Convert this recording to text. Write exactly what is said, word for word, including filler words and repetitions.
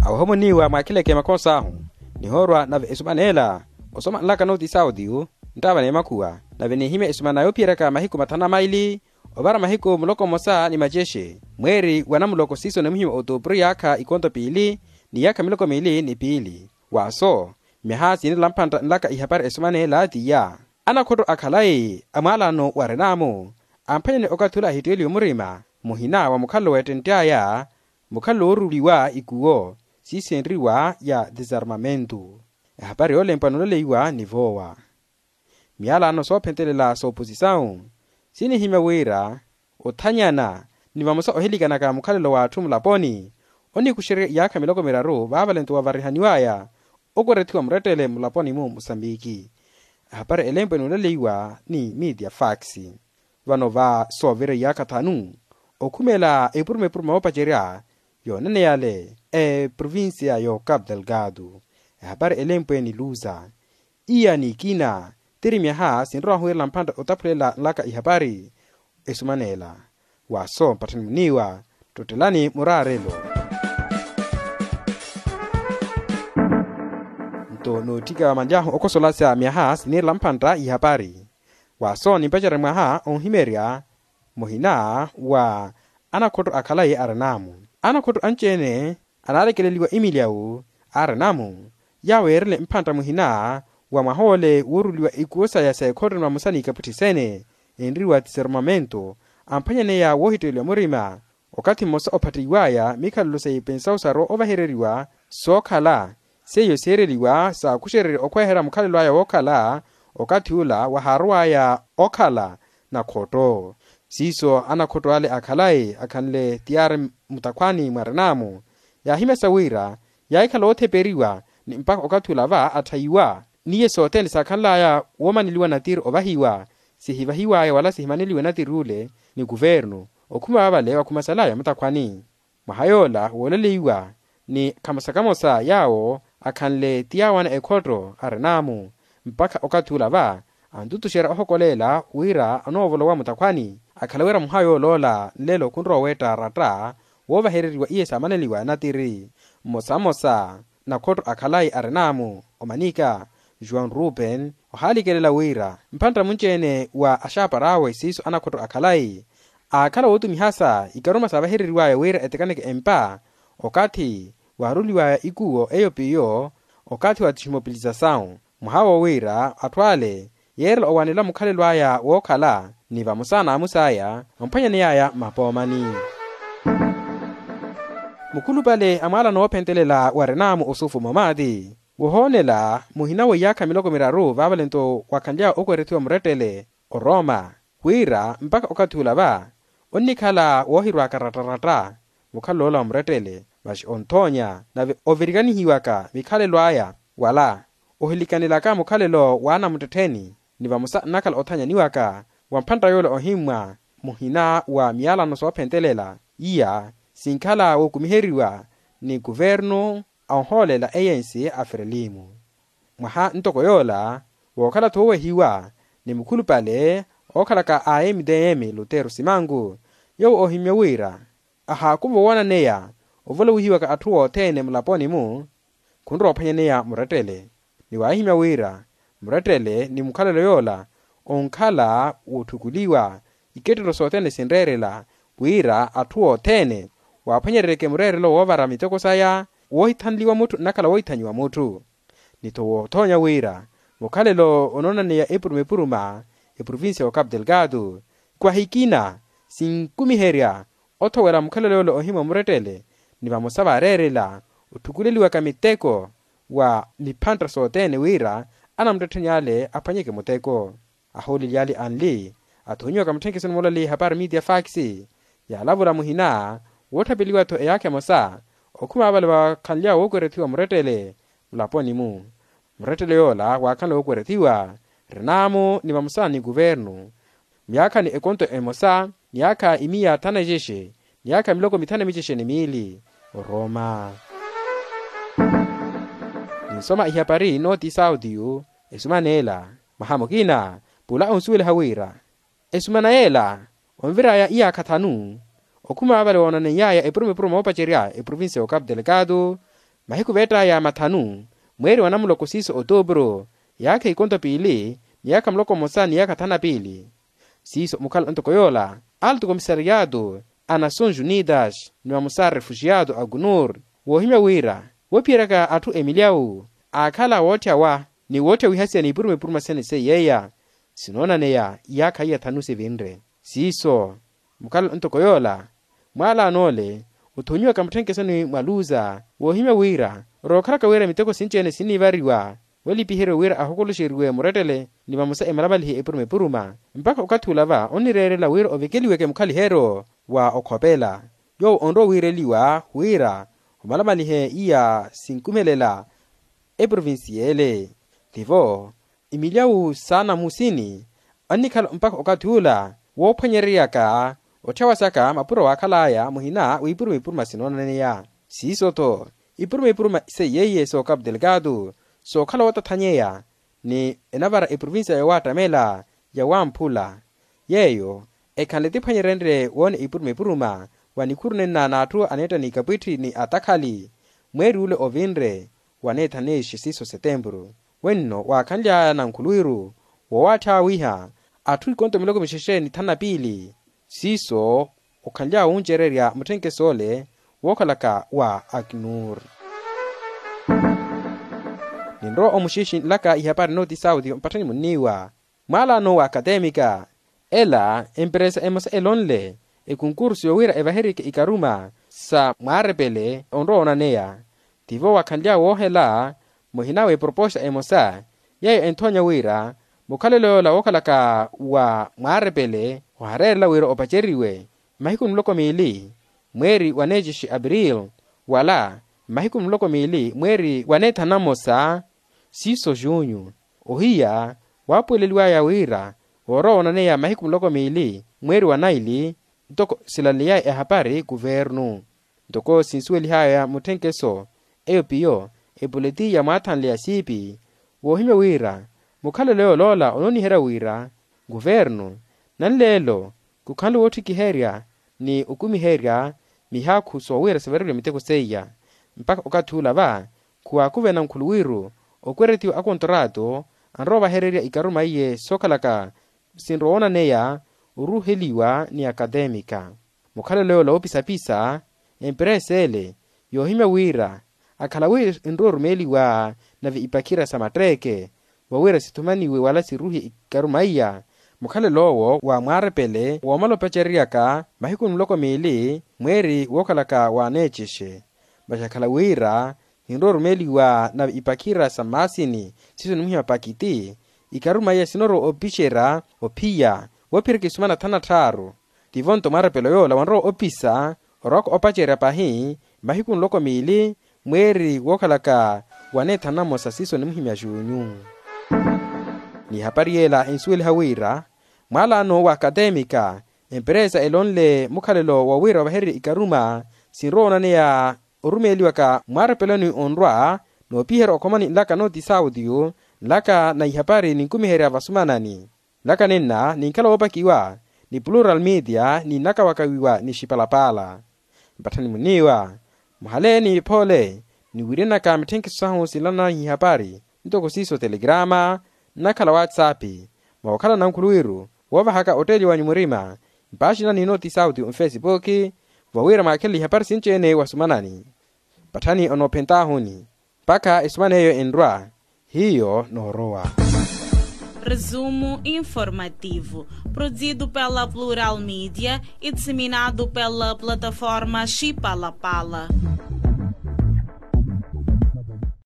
Awohomuniwa mwakhileke makhosa ahu nihoorwa nave esumana ela osoma nlaka nooti sautiyu nttaava n'emakhuwa nave niihimya esumana yoophiyeryaka mahiku mathanu na maili ovara mahiku muloko mmosa ni macexe mweeri wa namuloko siiso nimuhimya otuupuru yaakha ikonto piili ni yaakha miloko miili ni piili. Waaso myaha siinilampantta nlaka ihapari esumana ela tiya anakhotto akhalayi a mwaalano wa renaamu amphwanyane okathi ula ahitteliwe murima muhina wa mukhalelo weettentt'aya mukhalelo wooruliwa ikuwo siisenriwa ya desarmamento. Ehapari yoolempwa nooleleiwa ni voowa miyalano soophentelela sooposisawu sinihimya wira othanyana ni vamosa ohilikanaka mukhalelo w'atthu mulaponi onikuxerya iyaakha miloko miraru vaavalento wavarihaniwaya okwerethiwa murettele mulaponi-mu musambiki. Ehapari elempwe nooleleiwa ni media fax. Vano va soovira iyaakha thanu okhumela epuruma epuruma yoopacerya yoonaneyale eprovincia y'ocapu delgado. Ehapari elempwe ni luza iya n'ikina tiri myaha sinrowa hwiirela mphantta otaphulela nlaka ihapari esumanela. Waaso mpatthani muniiwa ttottelani muraarelo. Nto nootthika manlyahu okosolasya myaha siniirela mphantta ihapari waaso nimpacerya mwaha onhimerya muhina wa anakhotto akhalayi arinaamu anakhotto anci-ene anaalekeleliwa emilyawu arinaamu yaawo yeerele mphantta muhina wa mwaha ole wooruliwa ikuwo saya sa ekhotto ni vamosa n'ikaputthi sene enriwa tiserumamento amphwanyaneya woohitteleliwa murima okathi mmosa ophattiwaya mikhalelo sa ipensawu sarowa ovahereriwa sookhala seiyo siireliwa saakuxererya okhweherya mukhalelo aya wookhala okathi ula wahaarowaya okhala nakhotto. Siiso anakhotto ale akhalayi akhanle tiyari mutakhwani mwa renaamu yaahimyasa wira yaahikhala ootheperiwa ni mpakha okathi ula va atthayiwa n'iye sothene saakhanlaya woomaneliwa natiri ovahiwa sihivahiwaya wala sihimaneliwe natiri ule ni kuvernu okhuma vavale wakhumasalaya mutakhwani. Mwaha yoola wooleleiwa ni khamosa-khamosa yaawo akhanle ti yaawana ekhotto arinaamu mpakha okathi ula va antutuxerya ohokoleela wira anoovolowa mutakhwani akhala wira mwaha yooloola nlelo khunrowa oweetta aratta woovahereriwa iye saamaneliwa natiri. Mmosa-mmosa nakhotto akhalayi arinaamu omanika juan ruben ohaalikelela wira mphantta munci-ene wa axaapara awe siiso anakhotto akhalayi aakhala wootumihasa ikaruma saavahereriwaya wira etekaneke empa okathi waaruliwaya ikuwo eyo piyo okathi wa tiximopilisasau mwaha woowiira atthu ale yeerela owanela mukhalelo aya wookhala ni vamosa n'amus'aya amphwanyaneyaya mapoomani. Mukhulupale a mwaalano woophentelela wa renaamu osufu momati wohoonela muhina wa iyaakha miloko miraru vaavalento wakhanly'awe okwerethiwa murettele oroma wira mpakha okathi ula va onnikhala woohirwaka ratta-ratta mukhalelo ola wa murettele masi onthoonya nave ovirikanihiwaka mikhalelo aya wala ohilikanelaka mukhalelo w'anamuttettheni ni vamosa nnakhala othanyaniwaka wa mphantta yoola ohimmwa muhina wa miyalano soophentelela iya sinkhala wookumiheriwa ni kuvernu a ohoolela eyensi a frelimo. Mwaha ntoko yoola wookhala-tho woowehiwa ni mukhulupale ookhalaka a mdm lutero simanku yoowo oohimmye wira ahaakuva owananeya ovolowihiwaka atthu othene mulaponi-mu khunrowa ophwanyaneya murettele ni waahimya wira murettele ni mukhalelo yoola onkhala wootthukuliwa ikettelo sothene sinreerela wira atthu othene waaphwanyereryeke mureerelo woovara miteko saya woohithanliwa mutthu nnakhala woohithanyiwa mutthu ni-tho woothoonya wira mukhalelo onoonaneya epuruma-epuruma eprovincia y'ocapu delgado khwahikina sinkumiherya othowela mukhalelo yoola ohimwa murettele ni vamosa vaareerela otthukuleliwaka miteko wa miphantta sothene wira anamuttettheni ale aphwanyeke muteko. Ahooleli ale anli athoonyiwaka mutthenkesoni moolali hapari media fax yaalavula muhina wootthapeliwa-tho eyaakha emosa okhuma vale vakhanly'awe wookwerethiwa murettele mulaponi-mu murettele yoola waakhanle wookwerethiwa renaamu ni vamosa ni kuvernu myaakha ni ekonto emosa myaakha imiya thanu na ixexe myaakha miloko mithanu na mixexe ni miili oroma. Ninsoma ihapari nooti sautiyu esumaneela mwaha mukina pula onsuweliha wira esumana yeela onviraya iyaakha thanu okhuma vale woonaneyaya epuruma-epuruma moopacerya eprovincia y'ocapu delgado Mahiku veett'aya mathanu, mweeri wa namuloko siiso otuupuru, yaakha ikonto piili, miyaakha muloko mmosa ni yaakha thanu na piili. Siiso mukhala ntoko yoola, alto komisariyato a nasons unidas ni vamosa refujiyato a kunur, woohimya wira woophiyeraka atthu emilyawu aakhala wootthyawa ni wootthyawihasiya ni ipuruma ipuruma sene seiyeya sinoonaneya iyaakha iya thanu sivinre. Siiso mukhala ntoko yoola, mwaalano ole othonyiwaka mutthenkesoni mwa luza woohimya wira rookhalaka wira miteko sinci-ene sinniivariwa walipiheryo wira ahokoloxeriwe murettele ni vamosa emalamalihe epuruma epuruma mpakha okathi ula va onnireerela wira ovekeliweke mukhaliheryo wa okhopela yoowo onrowa wiireliwa wira omalamalihe iya sinkumelela eprovinsiyele. Tivo imilyawu saana musini annikhala mpakha okathi ula woophwanyereryaka otthyawa saka mapuro waakhal'aya muhina w'ipuruma ipuruma sinoonaneya. Siiso-tho ipuruma ipuruma seiye iye sookapu delgado sookhala wootathanyeya ni enavara eprovinsiya yowaattamela ya wamphula yeeyo ekhanle tiphwanyerenrye woona ipuruma ipuruma wa nikhuru nenna n'atthu aneetta ni ikapwitthi ni atakhali mweeri ule ovinre waneethaneexe siiso setempuru. Wenno waakhanly'aya nankhuluwiru wowaatthyawiha atthu ikonto miloko mixexe ni thanu na piili siiso okhanly'aya wuncererya mutthenkeso ole wookhalaka wa aknur. Ninrowa omuxixi nlaka ihapari nooti sauti mpatthani munniiwa mwaalano wa akatemika ela emperesa emosa elonle ekunkursu yowira evaherike ikaruma sa mwaarepele onrowa onaneya. Tivo wakhanly'awe woohela muhina w'eproposta emosa yeeyo enthoonya wira mukhalelo yoola wookhalaka wa mwaarepele ohareerela wira opaceriwe mahiku muloko miili mweeri wa neecixi april wala mahiku muloko miili mweeri wa neethanu na mmosa siiso junyu. Ohiya waapuweleliwaya wira woorowa onaneya mahiku muloko miili mweeri wa naili ntoko silaleyaya ehapari kuvernu ntoko sinsuwelihaya mutthenkeso eyo piyo epuleti ya mwaathanle ya siipi woohimya wira mukhalelo yoola onooniherya wira kuvernu nanleelo khukhanle woottikiherya ni okumiherya mihaakhu soowira sivareriwe miteko seiya mpakha okathi ula va khuwaakuvena nkhuluwiru okweretiwa akontrato anrowa ovahererya ikaruma iye sookhalaka sinrowa woonaneya oruuheliwa ni akatemika. Mukhalelo yoola woopisapisa emperesa ele yoohimya wira akhala wi enrowa orumeeliwa nave ipakhira sa matteeke vowira sithumaniwe wala siruuhe ikaruma iya mukhalelo owo wa mwaarepele woomala opacereryaka mahiku muloko miili mweeri wookhalaka wa neecixe. Masi akhala wira ninrowa orumeeliwa nave ipakhira sa mmaasini siiso nimuhiya pakiti ikaruma iya sinorowa opixerya ophiya woophirika isumana thanu na tthaaru. Tivo nto mwarepelo yoola wanrowa opisa orwaka opacerya pahi mahiku nloko miili mweeri wookhalaka wa neethanu na mmosa siiso nimuhimya junyu. N'ihapari yeela ensuweliha wira mwaalano wa akatemika emperesa elonle mukhalelo wowira ovahererye ikaruma sinrowa onaneya orumeeliwaka mwarepeloni onrwa noopiherya okhomani nlaka nooti saudio nlaka na ihapari ninkumiherya vasumanani. Nlaka nenna ninkhala woopakiwa ni plural media ninnakawakawiwa ni xipalapaala. Mpatthani muniiwa muhale ni iphoole niwiirenaka mitthenkiso sahu sinlanani ihapari ntoko siiso telegrama nnakhala whatsapp mwa okhala nankhuluwiru woovahaka otteeli wanyu murima mpaaxinani nooti sauti nfesipuki vowira mwaakhelele ihapari sinci-ene wasumanani. Patthani onoophentahuni mpakha esumana eyo enrwa hiyo noorowa. Resumo informativo, produzido pela Plural Media e disseminado pela plataforma Xipalapala.